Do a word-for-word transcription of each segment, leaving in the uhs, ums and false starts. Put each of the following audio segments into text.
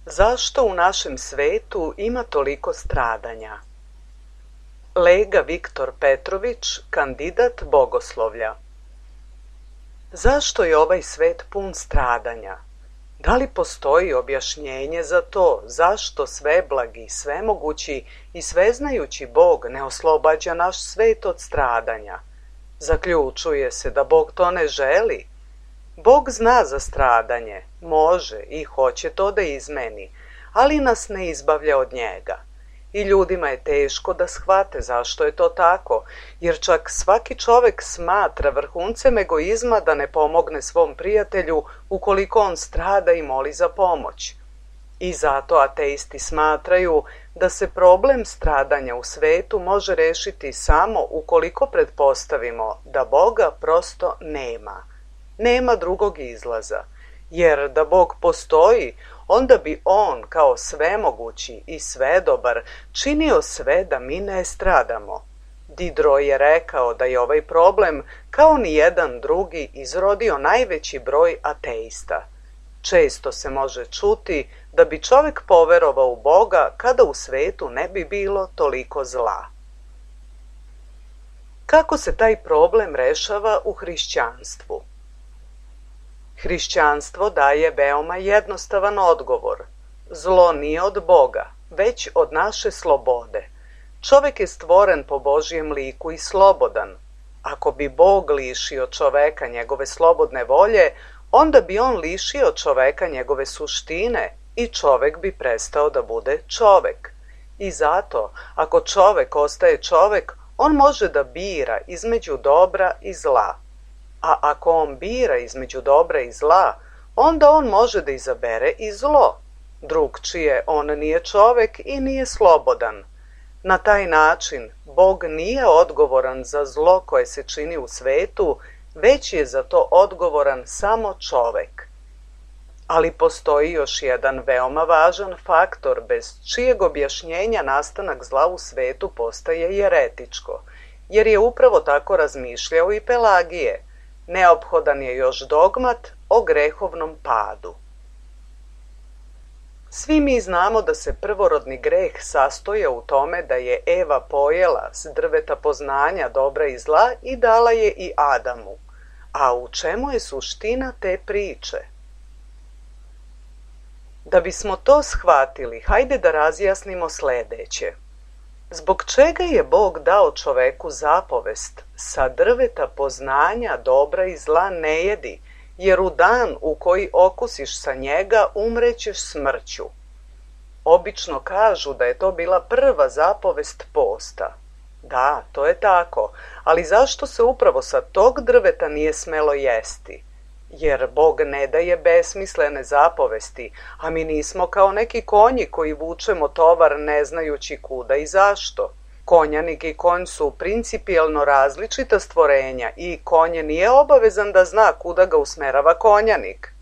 Zašto u našem svetu ima toliko stradanja? Lega Viktor Petrović, kandidat bogoslovlja. Zašto je ovaj svet pun stradanja? Da li postoji objašnjenje za to zašto sveblagi, svemogući i sveznajući Bog ne oslobađa naš svet od stradanja? Zaključuje se da Bog to ne želi. Bog zna za stradanje, može i hoće to da izmeni, ali nas ne izbavlja od njega. I ljudima je teško da shvate zašto je to tako, jer čak svaki čovek smatra vrhuncem egoizma da ne pomogne svom prijatelju ukoliko on strada i moli za pomoć. I zato ateisti smatraju da se problem stradanja u svetu može rešiti samo ukoliko pretpostavimo da Boga prosto nema. Nema drugog izlaza, jer da Bog postoji, onda bi On kao svemogući i svedobar činio sve da mi ne stradamo. Diderot je rekao da je ovaj problem kao ni jedan drugi izrodio najveći broj ateista. Često se može čuti da bi čovek poverovao u Boga kada u svetu ne bi bilo toliko zla. Kako se taj problem rešava u hrišćanstvu? Hrišćanstvo daje veoma jednostavan odgovor. Zlo nije od Boga, već od naše slobode. Čovek je stvoren po Božjem liku i slobodan. Ako bi Bog lišio čoveka njegove slobodne volje, onda bi on lišio čoveka njegove suštine i čovek bi prestao da bude čovek. I zato, ako čovek ostaje čovek, on može da bira između dobra i zla. A ako on bira između dobra i zla, onda on može da izabere i zlo. Drugčije, on nije čovek i nije slobodan. Na taj način, Bog nije odgovoran za zlo koje se čini u svetu, već je za to odgovoran samo čovek. Ali postoji još jedan veoma važan faktor bez čijeg objašnjenja nastanak zla u svetu postaje jeretičko, jer je upravo tako razmišljao i Pelagije. Neophodan je još dogmat o grehovnom padu. Svi mi znamo da se prvorodni greh sastoja u tome da je Eva pojela s drveta poznanja dobra i zla i dala je i Adamu. A u čemu je suština te priče? Da bismo to shvatili, hajde da razjasnimo sledeće. Zbog čega je Bog dao čoveku zapovest sa drveta poznanja dobra i zla ne jedi, jer u dan u koji okusiš sa njega umrećeš smrću? Obično kažu da je to bila prva zapovest posta. Da, to je tako, ali zašto se upravo sa tog drveta nije smelo jesti? Jer Bog ne daje besmislene zapovesti, a mi nismo kao neki konji koji vučemo tovar ne znajući kuda i zašto. Konjanik i konj su principijelno različita stvorenja i konje nije obavezan da zna kuda ga usmerava konjanik.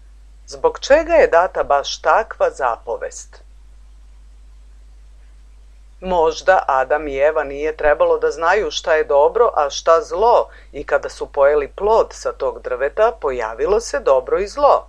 Zbog čega je data baš takva zapovest? Možda Adam i Eva nije trebalo da znaju šta je dobro, a šta zlo, i kada su pojeli plod sa tog drveta, pojavilo se dobro i zlo.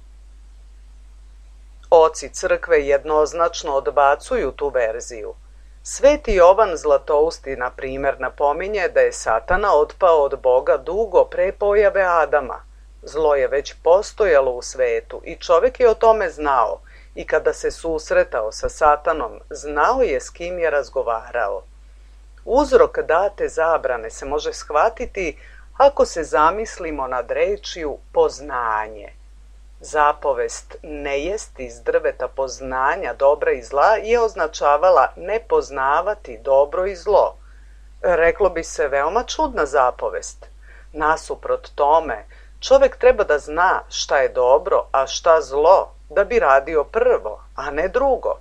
Oci crkve jednoznačno odbacuju tu verziju. Sveti Jovan Zlatousti, na primer, napominje da je Satana otpao od Boga dugo pre pojave Adama. Zlo je već postojalo u svetu i čovek je o tome znao. I kada se susretao sa Satanom, znao je s kim je razgovarao. Uzrok date zabrane se može shvatiti ako se zamislimo nad rečju poznanje. Zapovest ne jesti iz drveta poznanja dobra i zla je označavala ne poznavati dobro i zlo. Reklo bi se veoma čudna zapovest. Nasuprot tome, čovek treba da zna šta je dobro, a šta zlo, da bi radio prvo, a ne drugo.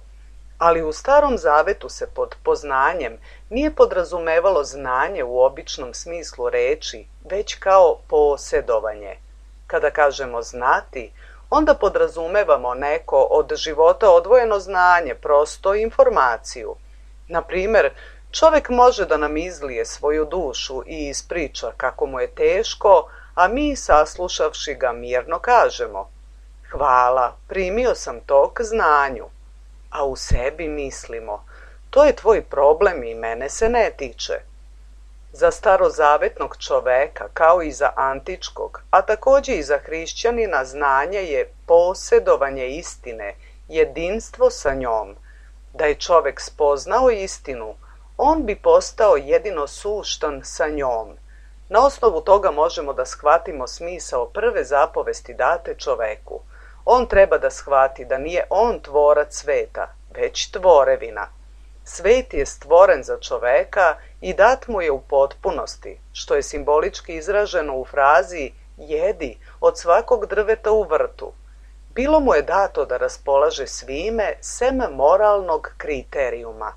Ali u Starom Zavetu se pod poznanjem nije podrazumevalo znanje u običnom smislu reči, već kao posjedovanje. Kada kažemo znati, onda podrazumevamo neko od života odvojeno znanje, prosto informaciju. Na primer, čovek može da nam izlije svoju dušu i ispriča kako mu je teško, a mi, saslušavši ga, mirno kažemo: hvala, primio sam to k znanju. a u sebi mislimo: to je tvoj problem i mene se ne tiče. Za starozavetnog čoveka, kao i za antičkog, a također i za hrišćanina, znanje je posjedovanje istine, jedinstvo sa njom. Da je čovek spoznao istinu, on bi postao jedino suštan sa njom. Na osnovu toga možemo da shvatimo smisao prve zapovesti date čoveku. On treba da shvati da nije on tvorac sveta, već tvorevina. Svet je stvoren za čoveka i dat mu je u potpunosti, što je simbolički izraženo u frazi jedi od svakog drveta u vrtu. Bilo mu je dato da raspolaže svime sem moralnog kriterijuma.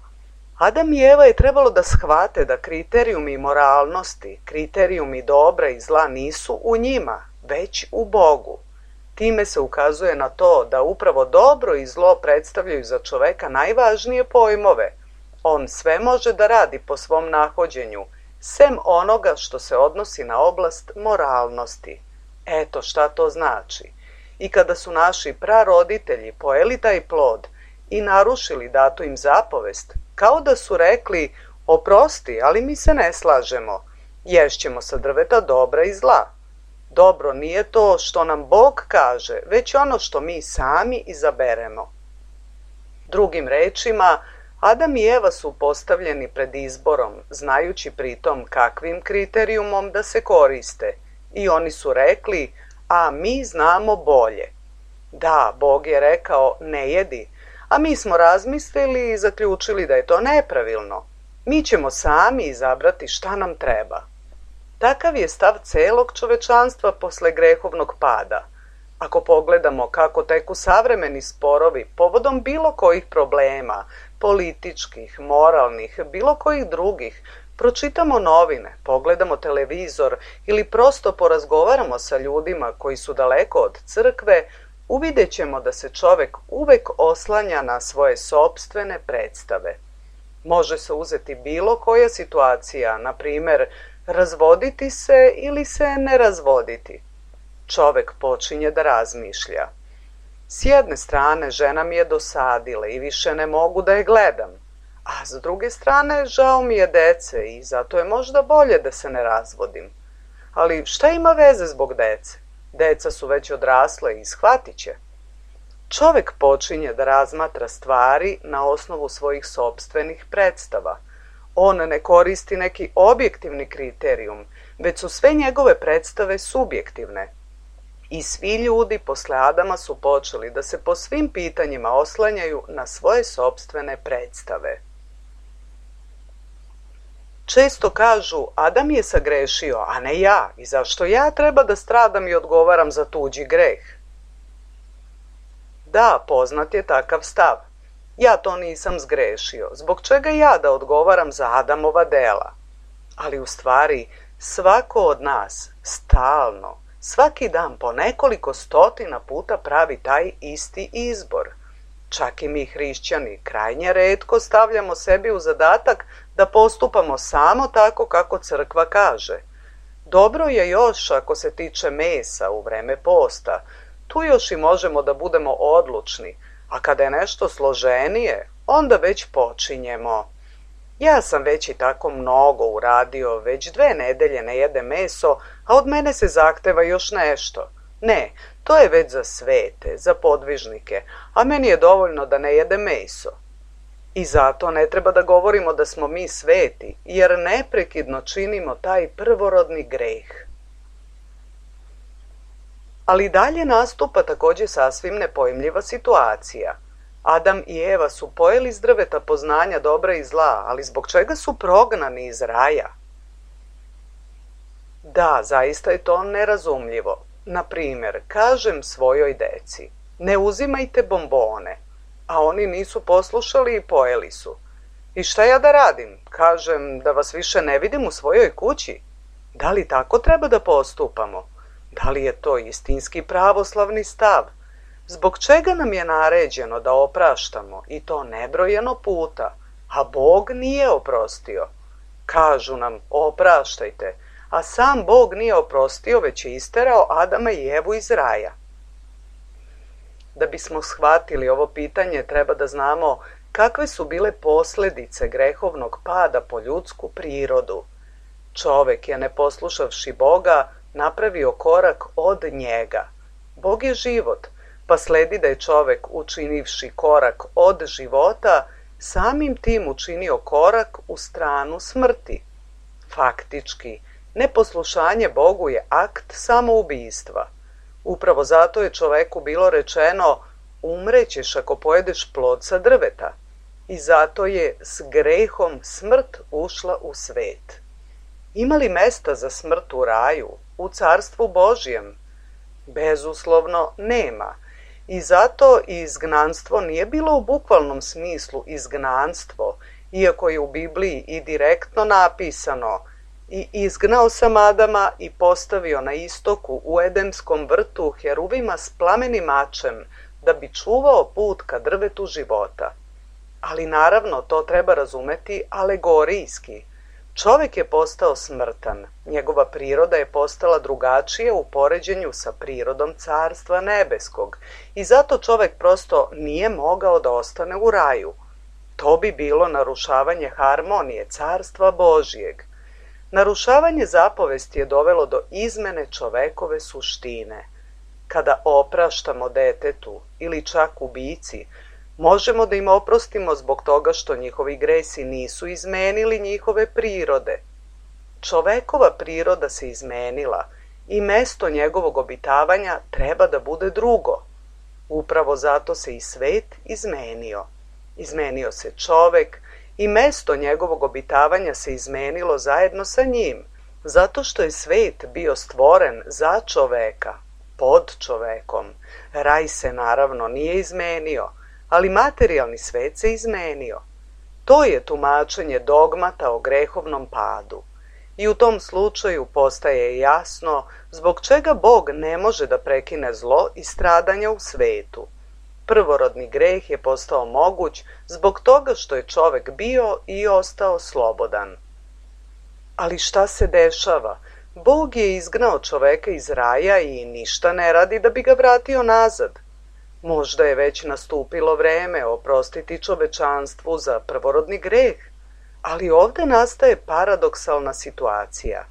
Adam i Eva je trebalo da shvate da kriterijumi moralnosti, kriterijumi dobra i zla nisu u njima, već u Bogu. Time se ukazuje na to da upravo dobro i zlo predstavljaju za čoveka najvažnije pojmove. On sve može da radi po svom nahođenju, sem onoga što se odnosi na oblast moralnosti. Eto šta to znači. I kada su naši praroditelji pojeli taj plod i narušili datu im zapovest, kao da su rekli: oprosti, ali mi se ne slažemo, ješćemo sa drveta dobra i zla. Dobro nije to što nam Bog kaže, već ono što mi sami izaberemo. Drugim rečima, Adam i Eva su postavljeni pred izborom, znajući pritom kakvim kriterijumom da se koriste, i oni su rekli: a mi znamo bolje. Da, Bog je rekao ne jedi, a mi smo razmislili i zaključili da je to nepravilno. Mi ćemo sami izabrati šta nam treba. Takav je stav celog čovečanstva posle grehovnog pada. Ako pogledamo kako teku savremeni sporovi povodom bilo kojih problema, političkih, moralnih, bilo kojih drugih, pročitamo novine, pogledamo televizor ili prosto porazgovaramo sa ljudima koji su daleko od crkve, uvidjet ćemo da se čovek uvek oslanja na svoje sopstvene predstave. Može se uzeti bilo koja situacija, na primer, razvoditi se ili se ne razvoditi. Čovek počinje da razmišlja. S jedne strane, žena mi je dosadila i više ne mogu da je gledam, a s druge strane, žao mi je dece i zato je možda bolje da se ne razvodim. Ali šta ima veze zbog dece? Deca su već odrasle i shvatit će. Čovek počinje da razmatra stvari na osnovu svojih sopstvenih predstava. On ne koristi neki objektivni kriterijum, već su sve njegove predstave subjektivne. I svi ljudi posle Adama su počeli da se po svim pitanjima oslanjaju na svoje sopstvene predstave. Često kažu: Adam je sagrešio, a ne ja, i zašto ja treba da stradam i odgovaram za tuđi greh? Da, poznat je takav stav. Ja to nisam zgrešio, zbog čega ja da odgovaram za Adamova dela? Ali u stvari, svako od nas, stalno, svaki dan po nekoliko stotina puta pravi taj isti izbor. Čak i mi hrišćani krajnje retko stavljamo sebi u zadatak da postupamo samo tako kako crkva kaže. Dobro je još ako se tiče mesa u vreme posta, tu još i možemo da budemo odlučni, a kada je nešto složenije, onda već počinjemo. Ja sam već i tako mnogo uradio, već dve nedelje ne jedem meso, a od mene se zahteva još nešto. Ne, to je već za svete, za podvižnike, a meni je dovoljno da ne jedem meso. I zato ne treba da govorimo da smo mi sveti, jer neprekidno činimo taj prvorodni greh. Ali dalje nastupa također sasvim nepojmljiva situacija. Adam i Eva su pojeli iz drveta poznanja dobra i zla, ali zbog čega su prognani iz raja? Da, zaista je to nerazumljivo. Na primjer, kažem svojoj deci: ne uzimajte bombone, a oni nisu poslušali i pojeli su. I šta ja da radim? Kažem da vas više ne vidim u svojoj kući? Da li tako treba da postupamo? Da li je to istinski pravoslavni stav? Zbog čega nam je naređeno da opraštamo, i to nebrojeno puta, a Bog nije oprostio? Kažu nam: opraštajte, a sam Bog nije oprostio, već je isterao Adama i Evu iz raja. Da bismo shvatili ovo pitanje, treba da znamo kakve su bile posljedice grehovnog pada po ljudsku prirodu. Čovek je, ne poslušavši Boga, napravio korak od njega. Bog je život, pa sledi da je čovek, učinivši korak od života, samim tim učinio korak u stranu smrti. Faktički, neposlušanje Bogu je akt samoubistva. Upravo zato je čoveku bilo rečeno: umrećeš ako pojedeš plod sa drveta. I zato je s grehom smrt ušla u svet. Ima li mesta za smrt u raju, u carstvu Božjem? Bezuslovno nema. I zato i izgnanstvo nije bilo u bukvalnom smislu izgnanstvo, iako je u Bibliji i direktno napisano: i izgnao sam Adama i postavio na istoku u Edemskom vrtu heruvima s plamenim mačem, da bi čuvao put ka drvetu života. Ali naravno to treba razumeti alegorijski. Čovek je postao smrtan, njegova priroda je postala drugačija u poređenju sa prirodom carstva nebeskog i zato čovek prosto nije mogao da ostane u raju. To bi bilo narušavanje harmonije carstva Božijeg. Narušavanje zapovesti je dovelo do izmene čovekove suštine. Kada opraštamo detetu ili čak ubici, možemo da im oprostimo zbog toga što njihovi gresi nisu izmenili njihove prirode. Čovekova priroda se izmenila i mesto njegovog obitavanja treba da bude drugo. Upravo zato se i svet izmenio. Izmenio se čovek i mesto njegovog obitavanja se izmenilo zajedno sa njim, zato što je svet bio stvoren za čoveka, pod čovekom. Raj se naravno nije izmenio, ali materijalni svet se izmenio. To je tumačenje dogmata o grehovnom padu. I u tom slučaju postaje jasno zbog čega Bog ne može da prekine zlo i stradanja u svetu. Prvorodni greh je postao moguć zbog toga što je čovek bio i ostao slobodan. Ali šta se dešava? Bog je izgnao čoveka iz raja i ništa ne radi da bi ga vratio nazad. Možda je već nastupilo vreme oprostiti čovečanstvu za prvorodni greh, ali ovde nastaje paradoksalna situacija.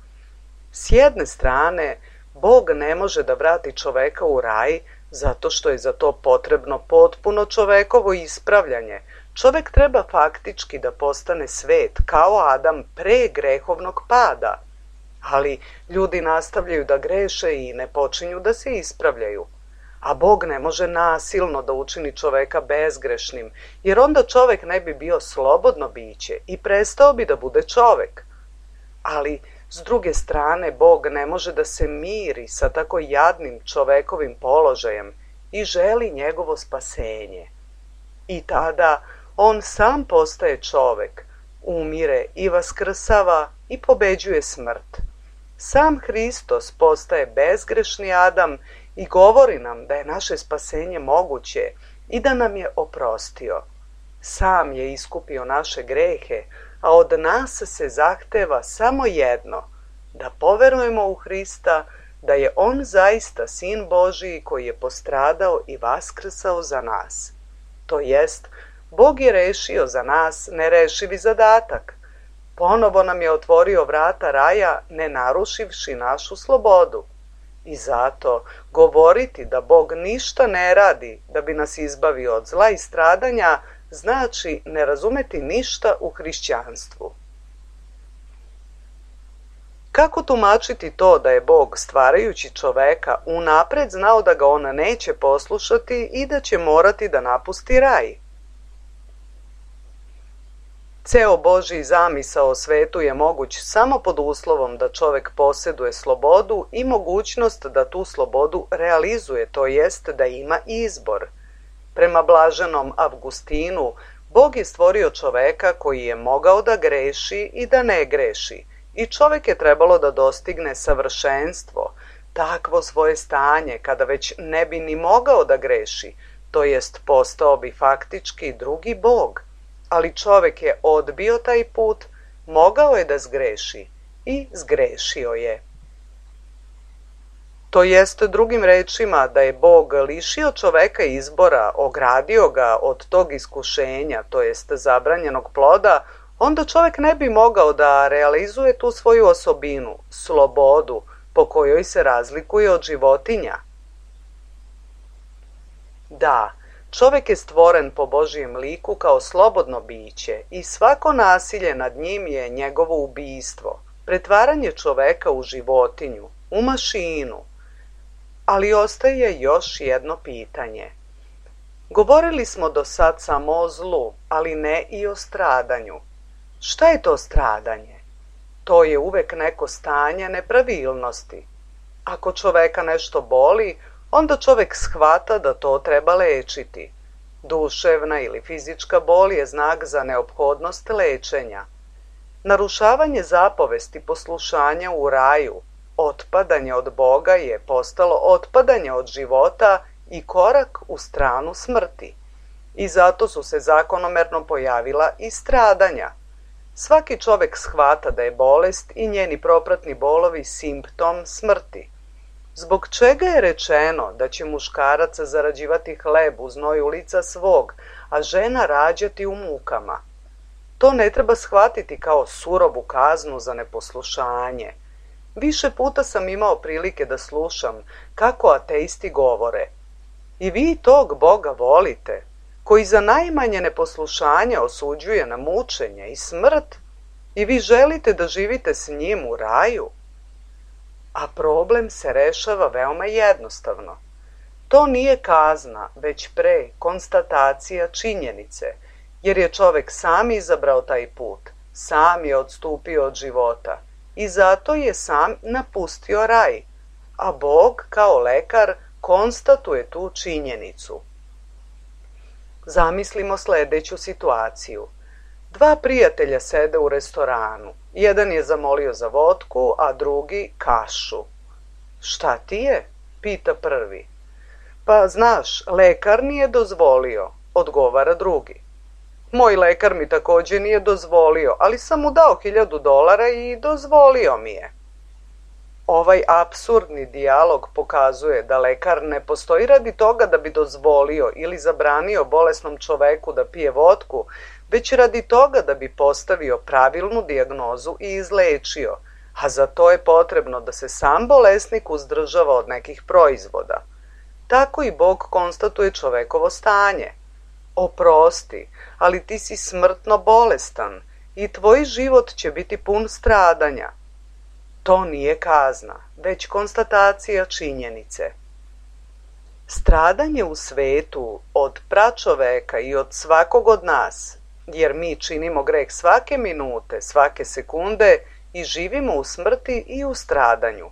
S jedne strane, Bog ne može da vrati čoveka u raj zato što je za to potrebno potpuno čovekovo ispravljanje. Čovek treba faktički da postane svet kao Adam pre grehovnog pada, ali ljudi nastavljaju da greše i ne počinju da se ispravljaju. A Bog ne može nasilno da učini čoveka bezgrešnim, jer onda čovek ne bi bio slobodno biće i prestao bi da bude čovek. Ali, s druge strane, Bog ne može da se miri sa tako jadnim čovekovim položajem i želi njegovo spasenje. I tada on sam postaje čovek, umire i vaskrsava i pobeđuje smrt. Sam Hristos postaje bezgrešni Adam i govori nam da je naše spasenje moguće i da nam je oprostio. Sam je iskupio naše grehe, a od nas se zahteva samo jedno, da poverujemo u Hrista, da je on zaista Sin Božiji koji je postradao i vaskrsao za nas. To jest, Bog je rešio za nas nerešivi zadatak. Ponovo nam je otvorio vrata raja, ne narušivši našu slobodu. I zato govoriti da Bog ništa ne radi da bi nas izbavio od zla i stradanja znači ne razumeti ništa u hrišćanstvu. Kako tumačiti to da je Bog, stvarajući čoveka, unapred znao da ga on neće poslušati i da će morati da napusti raj? Ceo Božji zamisao o svetu je moguć samo pod uslovom da čovek posjeduje slobodu i mogućnost da tu slobodu realizuje, to jest da ima izbor. Prema blaženom Avgustinu, Bog je stvorio čoveka koji je mogao da greši i da ne greši, i čovek je trebalo da dostigne savršenstvo, takvo svoje stanje kada već ne bi ni mogao da greši, to jest postao bi faktički drugi Bog. Ali čovek je odbio taj put, mogao je da zgreši i zgrešio je. To jest drugim rečima da je Bog lišio čoveka izbora, ogradio ga od tog iskušenja, to jest zabranjenog ploda, onda čovek ne bi mogao da realizuje tu svoju osobinu, slobodu, po kojoj se razlikuje od životinja. Da, čovek je stvoren po Božijem liku kao slobodno biće i svako nasilje nad njim je njegovo ubistvo, pretvaranje čoveka u životinju, u mašinu. Ali ostaje još jedno pitanje. Govorili smo do sad samo o zlu, ali ne i o stradanju. Šta je to stradanje? To je uvek neko stanje nepravilnosti. Ako čoveka nešto boli, onda čovek shvata da to treba lečiti. Duševna ili fizička bol je znak za neophodnost lečenja. Narušavanje zapovesti poslušanja u raju, otpadanje od Boga je postalo otpadanje od života i korak u stranu smrti. I zato su se zakonomerno pojavila i stradanja. Svaki čovek shvata da je bolest i njeni propratni bolovi simptom smrti. Zbog čega je rečeno da će muškarac zarađivati hleb u znoju lica svog, a žena rađati u mukama? To ne treba shvatiti kao surovu kaznu za neposlušanje. Više puta sam imao prilike da slušam kako ateisti govore. I vi tog Boga volite, koji za najmanje neposlušanje osuđuje na mučenje i smrt, i vi želite da živite s njim u raju? A problem se rešava veoma jednostavno. To nije kazna, već pre konstatacija činjenice, jer je čovek sam izabrao taj put, sam je odstupio od života i zato je sam napustio raj, a Bog kao lekar konstatuje tu činjenicu. Zamislimo sledeću situaciju. Dva prijatelja sede u restoranu. Jedan je zamolio za vodku, a drugi kašu. Šta ti je? Pita prvi. Pa znaš, lekar nije dozvolio, odgovara drugi. Moj lekar mi takođe nije dozvolio, ali sam mu dao hiljadu dolara i dozvolio mi je. Ovaj apsurdni dijalog pokazuje da lekar ne postoji radi toga da bi dozvolio ili zabranio bolesnom čoveku da pije vodku, već radi toga da bi postavio pravilnu dijagnozu i izlečio, a za to je potrebno da se sam bolesnik uzdržava od nekih proizvoda. Tako i Bog konstatuje čovekovo stanje. Oprosti, ali ti si smrtno bolestan i tvoj život će biti pun stradanja. To nije kazna, već konstatacija činjenice. Stradanje u svetu od pračoveka i od svakog od nas, jer mi činimo greh svake minute, svake sekunde i živimo u smrti i u stradanju.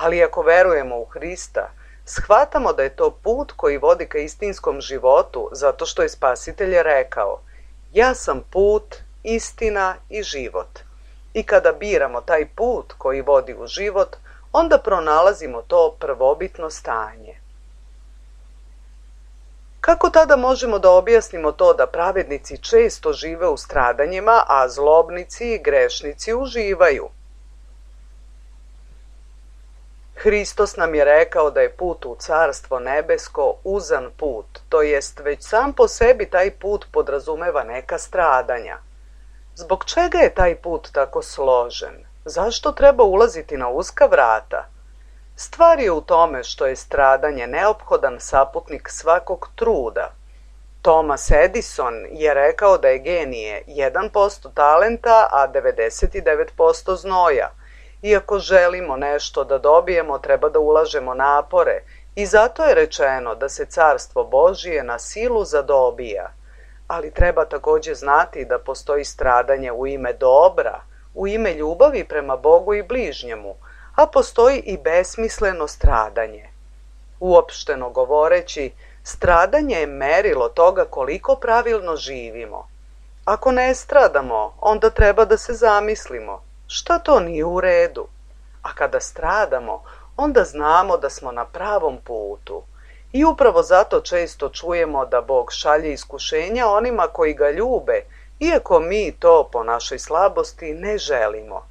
Ali ako verujemo u Hrista, shvatamo da je to put koji vodi ka istinskom životu, zato što je Spasitelj rekao: ja sam put, istina i život. I kada biramo taj put koji vodi u život, onda pronalazimo to prvobitno stanje. Kako tada možemo da objasnimo to da pravednici često žive u stradanjima, a zlobnici i grešnici uživaju? Hristos nam je rekao da je put u Carstvo nebesko uzan put, to jest već sam po sebi taj put podrazumeva neka stradanja. Zbog čega je taj put tako složen? Zašto treba ulaziti na uska vrata? Stvar je u tome što je stradanje neophodan saputnik svakog truda. Thomas Edison je rekao da je genije jedan posto talenta, a devedeset devet posto znoja. I ako želimo nešto da dobijemo, treba da ulažemo napore i zato je rečeno da se Carstvo Božije na silu zadobija. Ali treba takođe znati da postoji stradanje u ime dobra, u ime ljubavi prema Bogu i bližnjemu, a postoji i besmisleno stradanje. Uopšteno govoreći, stradanje je merilo toga koliko pravilno živimo. Ako ne stradamo, onda treba da se zamislimo šta to nije u redu. A kada stradamo, onda znamo da smo na pravom putu. I upravo zato često čujemo da Bog šalje iskušenja onima koji ga ljube, iako mi to po našoj slabosti ne želimo.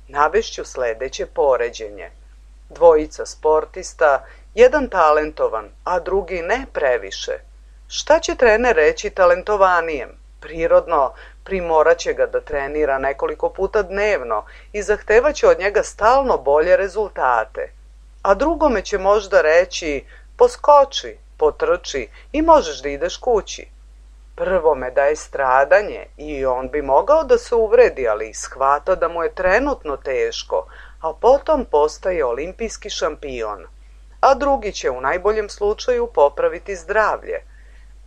Navešću sledeće poređenje. Dvojica sportista, jedan talentovan, a drugi ne previše. Šta će trener reći talentovanijem? Prirodno, primoraće ga da trenira nekoliko puta dnevno i zahtevaće od njega stalno bolje rezultate. A drugome će možda reći, poskoči, potrči i možeš da ideš kući. Prvome daje stradanje i on bi mogao da se uvredi, ali shvata da mu je trenutno teško, a potom postaje olimpijski šampion. A drugi će u najboljem slučaju popraviti zdravlje.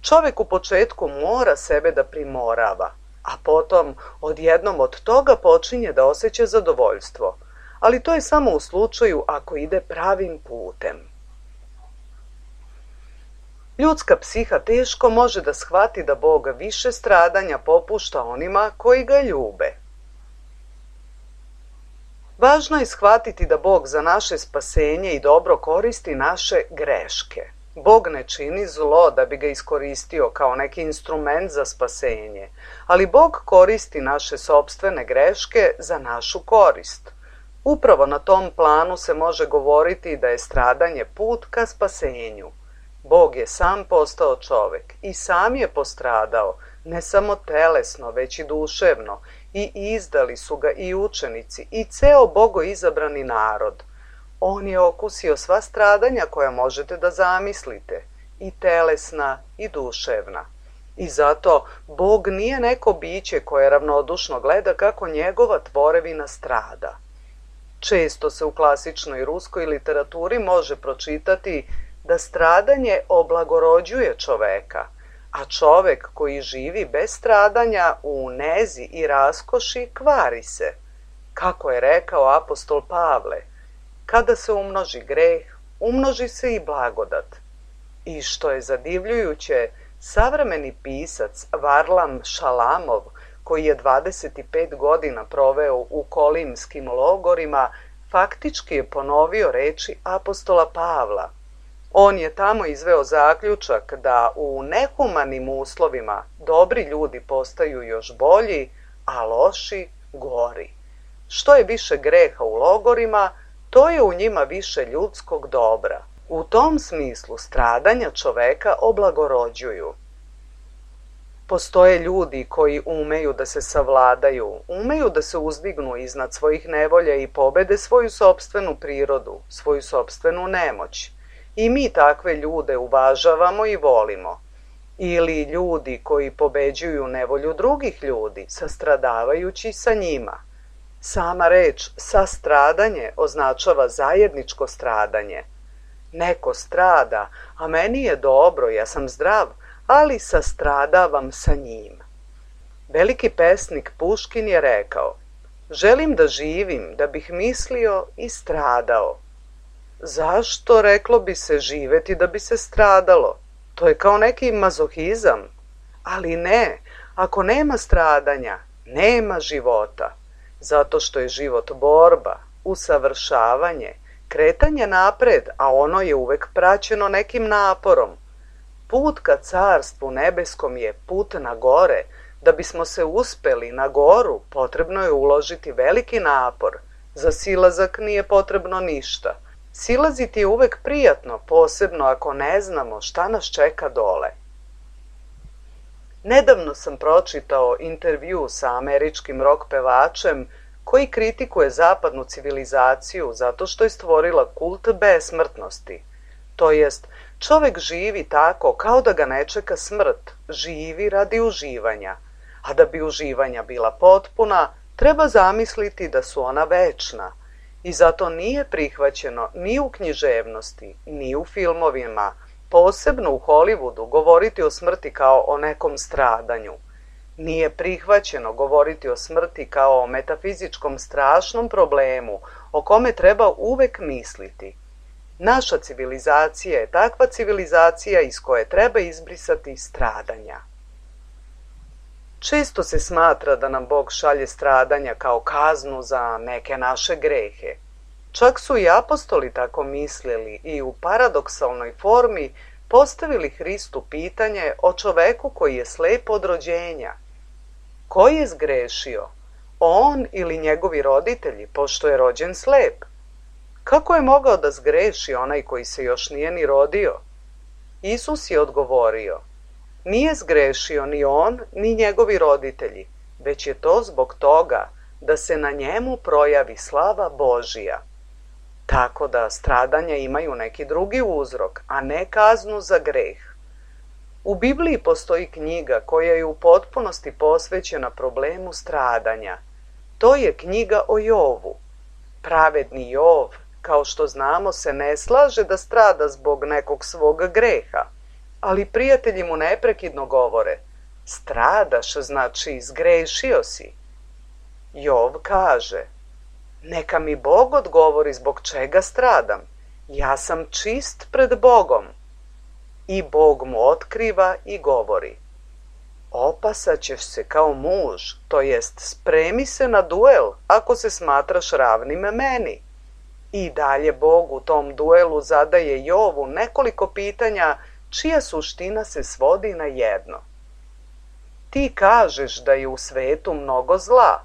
Čovek u početku mora sebe da primorava, a potom odjednom od toga počinje da osjeća zadovoljstvo. Ali to je samo u slučaju ako ide pravim putem. Ljudska psiha teško može da shvati da Bog više stradanja popušta onima koji ga ljube. Važno je shvatiti da Bog za naše spasenje i dobro koristi naše greške. Bog ne čini zlo da bi ga iskoristio kao neki instrument za spasenje, ali Bog koristi naše sopstvene greške za našu korist. Upravo na tom planu se može govoriti da je stradanje put ka spasenju. Bog je sam postao čovek i sam je postradao, ne samo telesno, već i duševno, i izdali su ga i učenici i ceo bogoizabrani narod. On je okusio sva stradanja koja možete da zamislite, i telesna i duševna. I zato Bog nije neko biće koje ravnodušno gleda kako njegova tvorevina strada. Često se u klasičnoj ruskoj literaturi može pročitati da stradanje oblagorođuje čoveka, a čovek koji živi bez stradanja u nezi i raskoši kvari se. Kako je rekao apostol Pavle, kada se umnoži greh, umnoži se i blagodat. I što je zadivljujuće, savremeni pisac Varlam Šalamov, koji je dvadeset pet godina proveo u kolimskim logorima, faktički je ponovio reči apostola Pavla. On je tamo izveo zaključak da u nehumanim uslovima dobri ljudi postaju još bolji, a loši gori. Što je više greha u logorima, to je u njima više ljudskog dobra. U tom smislu stradanja čoveka oblagorođuju. Postoje ljudi koji umeju da se savladaju, umeju da se uzdignu iznad svojih nevolja i pobede svoju sopstvenu prirodu, svoju sopstvenu nemoć. I mi takve ljude uvažavamo i volimo. Ili ljudi koji pobeđuju nevolju drugih ljudi, sastradavajući sa njima. Sama reč sastradanje označava zajedničko stradanje. Neko strada, a meni je dobro, ja sam zdrav, ali sastradavam sa njim. Veliki pesnik Puškin je rekao, želim da živim, da bih mislio i stradao. Zašto, reklo bi se, živeti da bi se stradalo? To je kao neki mazohizam. Ali ne, ako nema stradanja, nema života. Zato što je život borba, usavršavanje, kretanje napred, a ono je uvek praćeno nekim naporom. Put ka carstvu nebeskom je put na gore. Da bismo se uspeli na goru, potrebno je uložiti veliki napor. Za silazak nije potrebno ništa. Silaziti je uvek prijatno, posebno ako ne znamo šta nas čeka dole. Nedavno sam pročitao intervju sa američkim rock pevačem koji kritikuje zapadnu civilizaciju zato što je stvorila kult besmrtnosti. To jest, čovek živi tako kao da ga ne čeka smrt, živi radi uživanja, a da bi uživanja bila potpuna, treba zamisliti da su ona večna. I zato nije prihvaćeno ni u književnosti, ni u filmovima, posebno u Hollywoodu, govoriti o smrti kao o nekom stradanju. Nije prihvaćeno govoriti o smrti kao o metafizičkom strašnom problemu o kome treba uvek misliti. Naša civilizacija je takva civilizacija iz koje treba izbrisati stradanja. Često se smatra da nam Bog šalje stradanja kao kaznu za neke naše grehe. Čak su i apostoli tako mislili i u paradoksalnoj formi postavili Hristu pitanje o čoveku koji je slep od rođenja. Ko je zgrešio? On ili njegovi roditelji, pošto je rođen slep? Kako je mogao da zgreši onaj koji se još nije ni rodio? Isus je odgovorio, nije zgrešio ni on, ni njegovi roditelji, već je to zbog toga da se na njemu projavi slava Božija. Tako da stradanja imaju neki drugi uzrok, a ne kaznu za greh. U Bibliji postoji knjiga koja je u potpunosti posvećena problemu stradanja. To je knjiga o Jovu. Pravedni Jov, kao što znamo, se ne slaže da strada zbog nekog svog greha, ali prijatelji mu neprekidno govore, stradaš, znači zgrešio si. Jov kaže, neka mi Bog odgovori zbog čega stradam, ja sam čist pred Bogom. I Bog mu otkriva i govori, opasaćeš se kao muž, to jest spremi se na duel ako se smatraš ravnim meni. I dalje Bog u tom duelu zadaje Jovu nekoliko pitanja čija suština se svodi na jedno. Ti kažeš da je u svetu mnogo zla,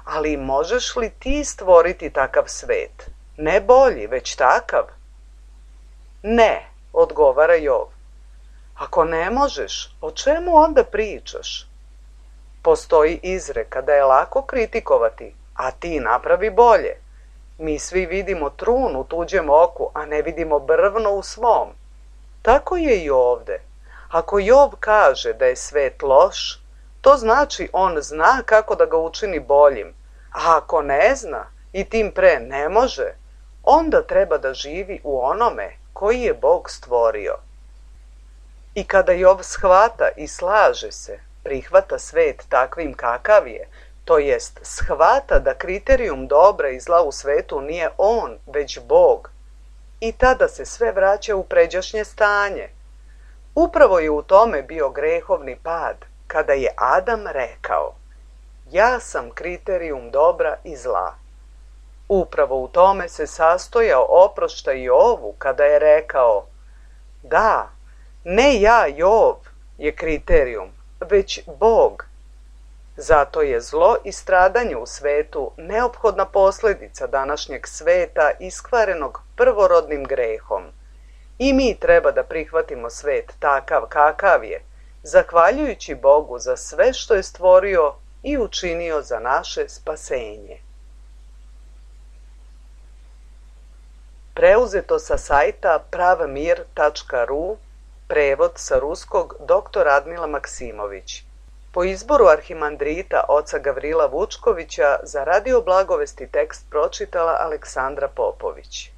ali možeš li ti stvoriti takav svet? Ne bolji, već takav. Ne, odgovara Jov. Ako ne možeš, o čemu onda pričaš? Postoji izreka da je lako kritikovati, a ti napravi bolje. Mi svi vidimo trun u tuđem oku, a ne vidimo brvno u svom. Tako je i ovde. Ako Jov kaže da je svet loš, to znači on zna kako da ga učini boljim, a ako ne zna i tim pre ne može, onda treba da živi u onome koji je Bog stvorio. I kada Jov shvata i slaže se, prihvata svet takvim kakav je, to jest shvata da kriterijum dobra i zla u svetu nije on, već Bog. I tada se sve vraća u pređašnje stanje. Upravo je u tome bio grehovni pad, kada je Adam rekao, ja sam kriterijum dobra i zla. Upravo u tome se sastojao oproštaj Jovu kada je rekao, da, ne ja Jov je kriterijum, već Bog. Zato je zlo i stradanje u svetu neophodna posljedica današnjeg sveta iskvarenog prvorodnim grehom. I mi treba da prihvatimo svet takav kakav je, zahvaljujući Bogu za sve što je stvorio i učinio za naše spasenje. Preuzeto sa sajta pravmir tačka ru, prevod sa ruskog doktor Radmila Maksimović. Po izboru arhimandrita oca Gavrila Vučkovića za Radio Blagovesti tekst pročitala Aleksandra Popović.